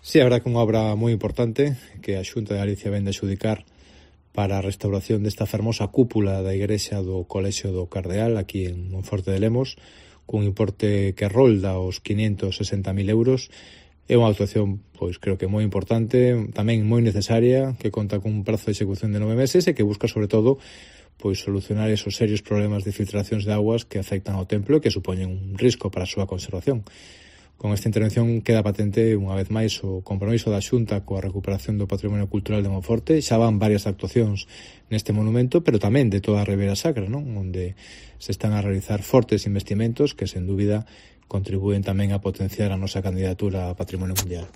Sí, a verdad que unha obra moi importante que a Xunta de Galicia vende a adxudicar para a restauración desta fermosa cúpula da igrexa do Colexio do Cardeal aquí en Monforte de Lemos, cun importe que rolda os 560.000 euros. É unha actuación, pois, creo que moi importante, tamén moi necesaria, que conta cun prazo de execución de 9 meses e que busca, sobre todo, pois, solucionar esos serios problemas de filtracións de augas que afectan ao templo e que supoñen un risco para a súa conservación. Con esta intervención queda patente unha vez máis o compromiso da Xunta coa recuperación do patrimonio cultural de Monforte. Xa van varias actuacións neste monumento, pero tamén de toda a Ribeira Sacra, non? Onde se están a realizar fortes investimentos que, sen dúbida, contribúen tamén a potenciar a nosa candidatura a Patrimonio Mundial.